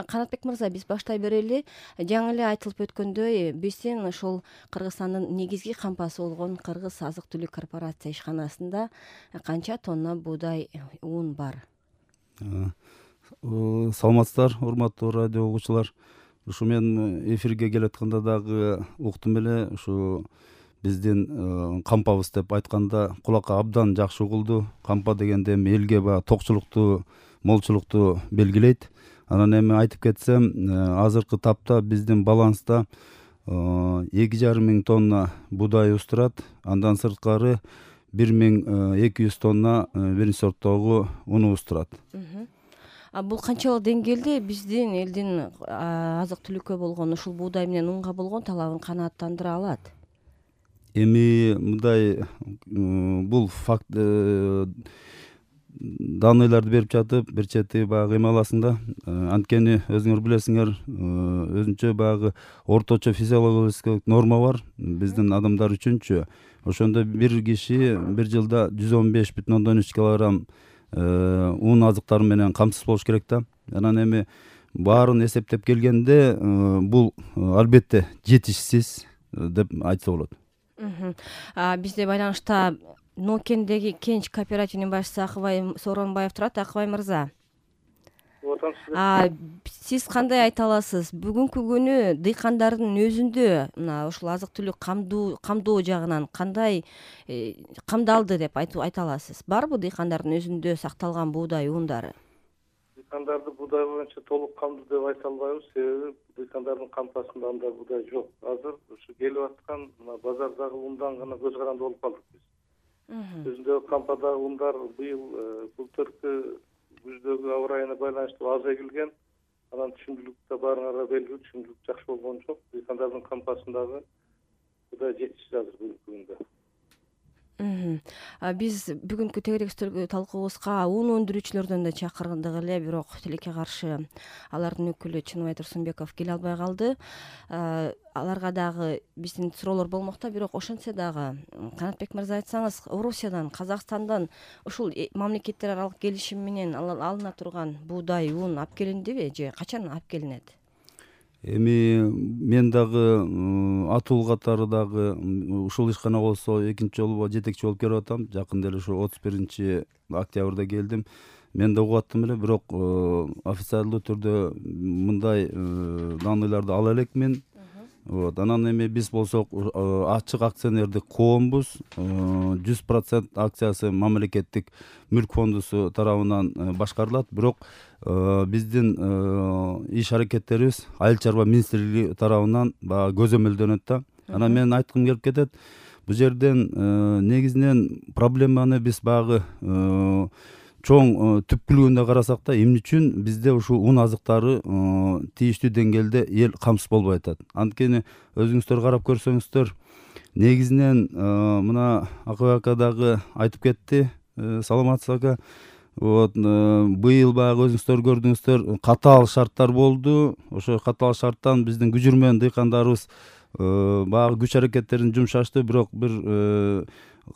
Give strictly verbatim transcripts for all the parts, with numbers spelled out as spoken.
Канатбек мырза, биз баштай берели. Жаңы эле айтылып өткөндөй, биздин ошол Кыргызстандын негизги кампасы болгон Кыргыз азык-түлүк корпорация ишканасында канча тонна буудай ун бар? Саламатсыздар, урматтуу радио угуучулар. Ушу мен эфирге келатканда дагы уктум эле, ушу биздин кампабыз деп айтканда кулакка абдан жакшы угулду. Кампа дегенде эми элге баягы токчулукту, молчулукту белгилейт. Анан эми айтып кетсем, азыркы тапта биздин баланста эки жарым миң тонна буудайыбыз турат. Андан сырткары бир миң эки жүз тонна биринчи сорттогу унубуз турат. Бул канчалык деңгээлде биздин элдин азык-түлүккө болгон ушул буудай менен унга болгон талабын канааттандыра алат? Эми мындай, бул факт данныйларды берип жатып, бир чети баягы эме аласың да. Анткени өзүңөр билесиңер, өзүнчө баягы орточо физиологический норма бар биздин адамдар үчүнчү. Ошондо бир киши бир жылда жүз он беш бүтүн ондон үч килограмм ун азыктары менен камсыз болуш керек да. Анан эми баарын эсептеп келгенде бул албетте жетишсиз деп айтса болот. Бизде байланышта Нокендеги Кенч кооперативинин башчысы Акыбай Сооронбаев турат. Акыбай мырза, сиз кандай айта аласыз? Бүгүнкү күнү дыйкандардын өзүндө мына ушул азык-түлүк камдоо жагынан кандай камдалды деп айта аласыз? Барбы дыйкандардын өзүндө сакталган буудай ундары? Дыйкандарды буудай боюнча толук камдуу деп айта албайбыз, себеби дыйкандардын кампасында андай буудай жок. Азыр ушу келип аткан мына базардагы ундан гана көз каранды болуп калдык биз. Өзүндөгү кампадагы ундар быйыл былтыркы күздөгү аба ырайына байланыштуу аз эгилген. Анан түшүмдүүлүк да баарыңарга белгилүү, түшүмдүүлүк жакшы болгон жок. Дыйкандардын кампасындагы буудай жетишсиз азыр бүгүнкү күндө. Биз бүгүнкү тегерек үстөлгө талкуубузга ун өндүрүүчүлөрдөн да чакырдык эле, бирок тилекке каршы алардын өкүлү Чыныбай Турсунбеков келе албай калды. Аларга дагы биздин суроолор болмокто, бирок ошентсе дагы Канатбек мырза, айтсаңыз, Орусиядан, Казакстандан ушул мамлекеттер аралык келишим менен алына турган буудай ун алып келиндиби же качан алып келинет? Эми мен дагы атуу катары дагы ушул ишкана болсо экинчи жолу жетекчи болуп келип атам. Жакында эле ушу отуз биринчи октябрда келдим. Мен да угуп аттым эле, бирок официалдуу түрдө мындай данныйларды ала элекмин. Вот, анан эми биз болсок ачык акционердик коомбуз. жүз процент акциясы мамлекеттик мүлк фондусу тарабынан башкарылат, бирок биздин иш аракеттерибиз Айыл чарба министрлиги тарабынан баягы көзөмөлдөнөт да. Анан мен айткым келип кетет, бул жерден негизинен проблеманы биз баягы чоң түпкүлүгүндө карасак да, эмне үчүн бизде ушул ун азыктары тийиштүү деңгээлде эл камсыз болбой атат. Анткени өзүңүздөр карап көрсөңүздөр, негизинен мына Акыбай ака дагы айтып кетти, саламатсыз ака. Вот, быйыл баягы өзүңүздөр көрдүңүздөр, катаал шарттар болду. Ошо катаал шарттан биздин күжүрмөн дыйкандарыбыз баягы күч аракеттерин жумшашты, бирок бир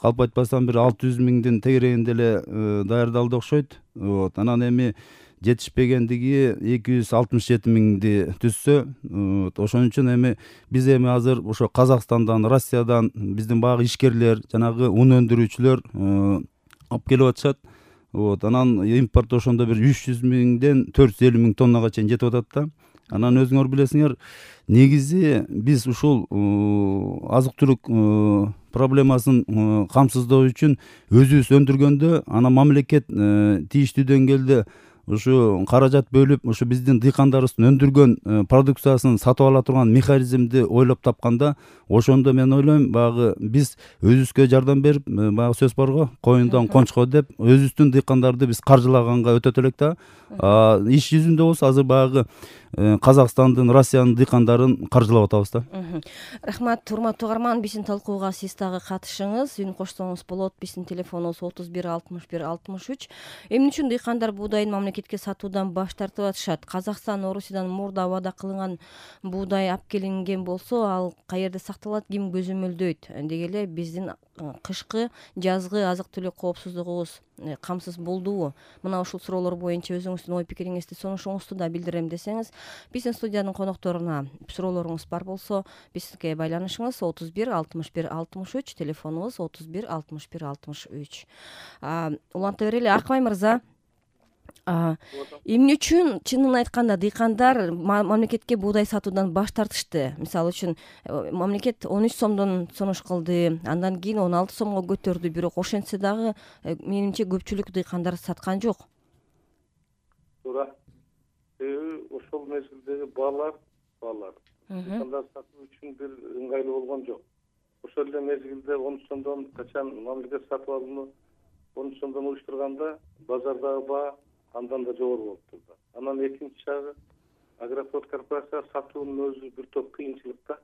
калп айтпасам бир алты жүз миңдин тегерегинде эле даярдалды окшойт. Вот, анан эми жетишпегендиги эки жүз алтымыш жети миңди түзсө, ошон үчүн эми биз эми азыр ошо Казакстандан, Россиядан биздин баягы ишкерлер, жанагы ун өндүрүүчүлөр алып келип атышат. Вот, анан импорт ошондо бир үч жүз миңден төрт жүз элүү миң тоннага чейин жетип атат да. Анан өзүңөр билесиңер, негизи биз ушул азык-түлүк проблемасын камсыздоо үчүн өзүбүз өндүргөндө, анан мамлекет тийиштүү деңгээлде ушу каражат бөлүп, ушу биздин дыйкандарыбыздын өндүргөн продукциясын сатып ала турган механизмди ойлоп тапканда, ошондо мен ойлойм, баягы биз өзүбүзгө жардам берип, баягы сөз барго, коюндан кончко деп, өзүбүздүн дыйкандарды биз каржылаганга өтөт элек да. Иш жүзүндө болсо азыр баягы Казакстандын, Россиянын дыйкандарын каржылап атабыз да. Рахмат, урматтуу угарман, биздин талкууга сиз дагы катышыңыз, үн кошсоңуз болот. Биздин телефонубуз отуз бир алтымыш бир алтымыш үч. Эмне үчүн дыйкандар буудайын мамлекетке сатуудан баш тартып атышат? Казакстан, Орусиядан мурда вада кылынган буудай алып келинген болсо, ал каерде сакталат, ким көзөмөлдөйт? Деги эле биздин кышкы жазгы азык түлүк коопсуздугубуз камсыз болдубу? Мына ушул суроолор боюнча өзүңүздүн ой пикириңизди, сунушуңузду да билдирем десеңиз, биздин студиянын конокторуна суроолоруңуз бар болсо бизге байланышыңыз отуз бир алтымыш бир алтымыш үч, телефонубуз отуз бир алтымыш бир алтымыш үч. Уланта берели, Акмай мырза. Эмне үчүн чынын айтканда дыйкандар мамлекетке буудай сатуудан баш тартышты? Мисалы үчүн мамлекет он үч сомдон сунуш кылды, андан кийин он алты сомго көтөрдү, бирок ошентсе дагы менимче көпчүлүк дыйкандар саткан жок. Туура. Себеби ошол мезгилдеги баалар, баалар дыйкандар сатуу үчүн бир ыңгайлуу болгон жок. Ошол эле мезгилде он үч сомдон качан мамлекет сатып алууну он үч сомдон уюштурганда базардагы баа андан да жогору болуп турду. Анан экинчи жагы Агрофлот корпорацияга сатуунун өзү бир топ кыйынчылыкта.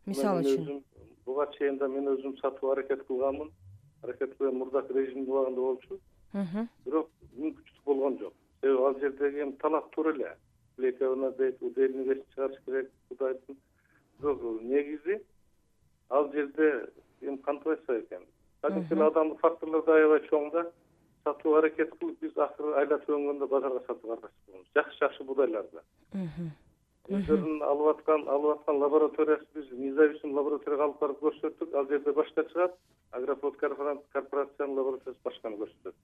Мисалы үчүн буга чейин да мен өзүм сатуу аракет кылганмын. Аракет кылган мурдак режим убагында болчу. Бирок мүмкүнчүлүк болгон жок. Себеби ал жердеги эми талап туура эле. Лековна дейт, удельный вес чыгарыш керек, кудайдын. Бирок негизи ал жерде эми кантип айтсак экен. Кадимки адамдык факторлор да аябай чоң да. Сатуу аракет кылып биз акыры айлатып өнгөндө базарга сатууга аралашып болобуз. Жакшы-жакшы будайларды. Өздөрүнүн алып аткан, алып аткан лабораториясы биз независимый лабораторияга алып барып көрсөттүк. Ал жерде башка чыгат, Агрофлот корпорациянын лабораториясы башканы көрсөтөт.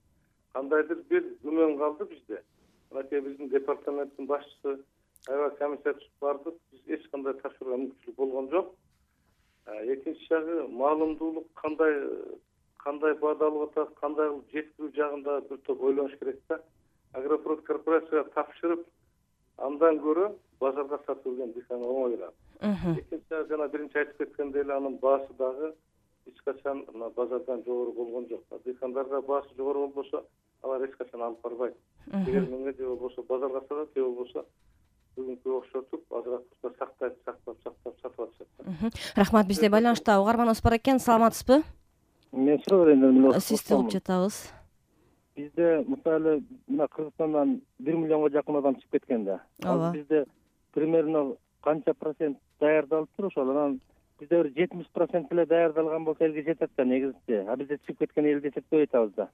Кандайдыр бир күмөн калды бизде. Мынакей биздин департаменттин башчысы аябай комиссия түзүп бардык. Биз эч кандай тапшырууга мүмкүнчүлүк болгон жок. Экинчи жагы маалымдуулук кандай кандай баада алып атат, кандай жеткирүү жагында бир топ ойлош керек да. Агрофлот корпорацияга тапшырып, андан көрө базарга сатып берген дыйканга оңоюраак. Экинчи жагы жана биринчи айтып кеткендей эле анын баасы дагы эч качан базардан жогору болгон жок. Дыйкандарга баасы жогору болбосо, алар эч качан алып барбайт. Эгер менге же болбосо базарга сатат, же болбосо бүгүнкү окшотуп азыраак сактайт, сактап, сактап сатып атышат. Рахмат, бизде байланышта угарманыбыз бар экен. Саламатсызбы? Мен суроо берейин. Сизди угуп жатабыз. Бизде мисалы мына Кыргызстандан бир миллионго жакын адам чыгып кеткен да. Ооба. Бизде примерно канча процент даярдалыптыр ошол? Анан бизде бир жетимиш процент эле даярдалган болсо элге жетет да негизинче. А бизде чыгып кеткен эл десек деп айтабыз да.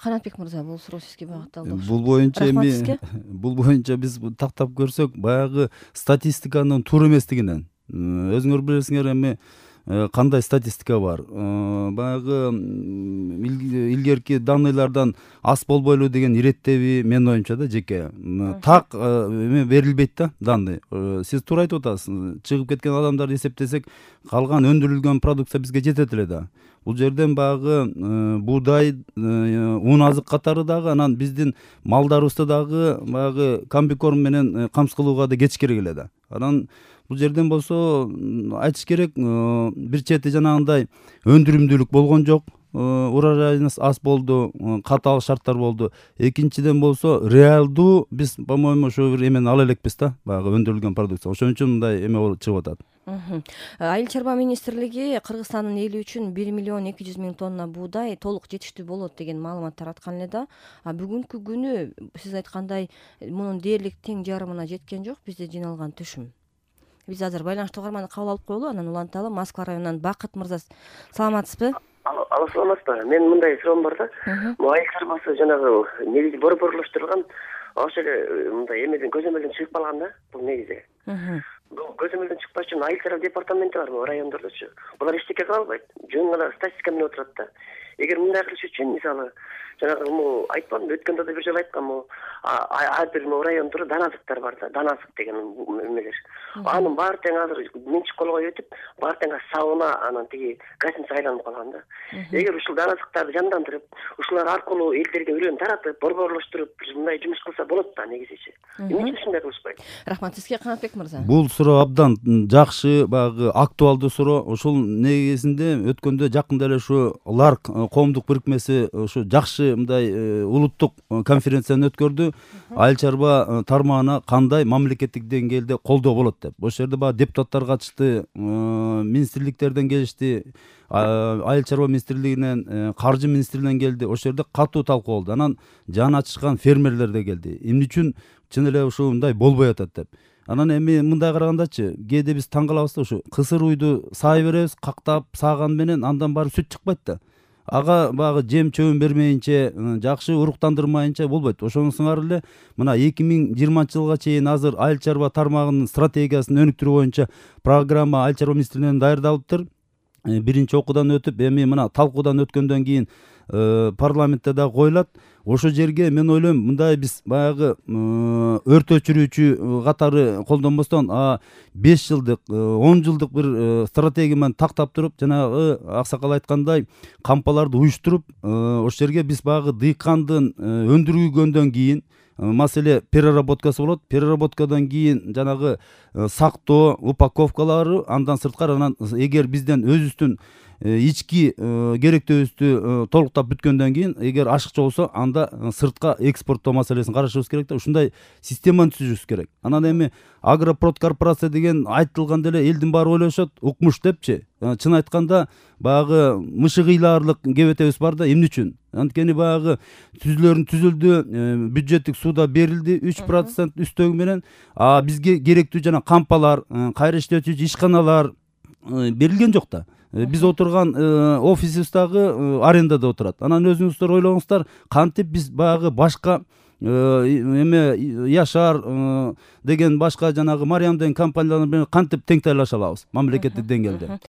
Канатбек мырза, бул суроо сизге багытталды. Бул боюнча эми бул боюнча биз тактап көрсөк, баягы статистиканын туура эместигинен. Өзүңөр билесиңер эми кандай статистика бар. Баягы илгерки данныйлардан аз болбойлу деген иреттеби менин оюмча да жеке. Так эме берилбейт да данный. Сиз туура айтып атасыз. Чыгып кеткен адамдарды эсептесек, калган өндүрүлгөн продукция бизге жетет эле да. Бул жерден баягы буудай, ун азык катары дагы, анан биздин малдарыбызды дагы баягы комбикорм менен камсыз кылууга да кеч керек эле да. Анан бул жерден болсо айтыш керек, бир чети жанагындай өндүрүмдүүлүк болгон жок, урожайыбыз аз болду, катаал шарттар болду. Экинчиден болсо реалдуу биз, по-моему, ошо бир эмени ала элекпиз да, баягы өндүрүлгөн продукция. Ошон үчүн мындай эме болуп чыгып атат. Айыл чарба министрлиги Кыргызстандын эли үчүн бир миллион эки жүз миң тонна буудай толук жетиштүү болот деген маалымат тараткан эле да. А бүгүнкү күнү сиз айткандай мунун дээрлик тең жарымына жеткен жок бизде жыйналган түшүм. Биз азыр байланышта угарманды кабыл алып коелу, анан уланталы. Москва районунан Бакыт мырза, саламатсызбы? Алло, саламатсызбы? Мен мындай суроом бар да. Айыл чарбасы жанагы негизи борборлоштурулган, ошол эле мындай эмеден көзөмөлдөн чыгып калган да, бул негизи. Бул көзөмөлдөн чыкпаш үчүн айыл чарба департаменти барбы райондордочу? Булар эчтеке кыла албайт. Жөн гана статистика менен отурат да. Эгер мындай кылыш үчүн мисалы жанагы му айтпадымбы, өткөндө да бир жолу айтканмын, ар бир райондо даназыктар бар да, даназык деген эмелер. Анын баары тең азыр менчик колго өтүп, баары тең сабына анан тиги гостиница айланып калган да. Эгер ушул даназыктарды жандандырып, ушулар аркылуу элдерге үрөн таратып, борборлоштуруп, мындай жумуш кылса болот да негизичи. Эмне үчүн ушундай кылышпайт? Рахмат, сизге Канатбек мырза. Бул суроо абдан жакшы, баягы актуалдуу суроо. Ошол негизинде өткөндө жакында эле ушу Ларк коомдук бирикмеси ушу жакшы мындай улуттук конференцияны өткөрдү. Айыл чарба тармагына кандай мамлекеттик деңгээлде колдоо болот деп. Ошол жерде баягы депутаттар катышты, министрликтерден келишти, айыл чарба министрлигинен, каржы министрлигинен келди. Ошол жерде катуу талкуу болду. Анан жаны ачышкан фермерлер да келди. Эмне үчүн чын эле ушундай болбой атат деп. Анан эми мындай карагандачы, кээде биз таң калабыз да, ушу кысыр уйду саай беребиз, кактап сааган менен андан барып сүт чыкпайт да. Ага баягы жем чөбүн бермейинче, жакшы уруктандырмайынча болбойт. Ошону сыңар эле мына эки миң жыйырманчы жылга чейин азыр айыл чарба тармагынын стратегиясын өнүктүрүү боюнча программа айыл чарба министрлигинен даярдалыптыр. Биринчи окуудан өтүп, эми мына талкуудан өткөндөн кийин парламентте дагы коюлат. Ошол жерге мен ойлойм, мындай биз баягы өрт өчүрүүчү катары колдонбостон, беш жылдык, он жылдык бир стратегия менен тактап туруп, жанагы аксакал айткандай, кампаларды уюштуруп, ошол жерге биз баягы дыйкандын өндүргөндөн кийин, маселе переработкасы болот. Переработкадан кийин жанагы сактоо, упаковкалары, андан сырткары, анан эгер бизден өзүбүздүн ички керектөөбүздү толуктап бүткөндөн кийин, эгер ашыкча болсо, анда сыртка экспорттоо маселесин карашыбыз керек да. Ушундай системаны түзүшүбүз керек. Анан эми Агропрод корпорация деген айтылганда эле элдин баары ойлошот, укмуш депчи. Чын айтканда баягы мышыгыйлаарлык кебетебиз бар да, эмне үчүн? Анткени баягы түзүлөрүн түзүлдү, бюджеттик сууда берилди үч процент үстөгү менен, а бизге керектүү жана кампалар, кайра иштетүүчү ишканалар берилген жок да. Биз отурган офисибиз дагы арендада отурат. Анан өзүңүздөр ойлоңуздар, кантип биз баягы башка эме Яшар деген башка жанагы Мариям деген компаниялар менен кантип тең тайлаша алабыз мамлекеттик деңгээлде?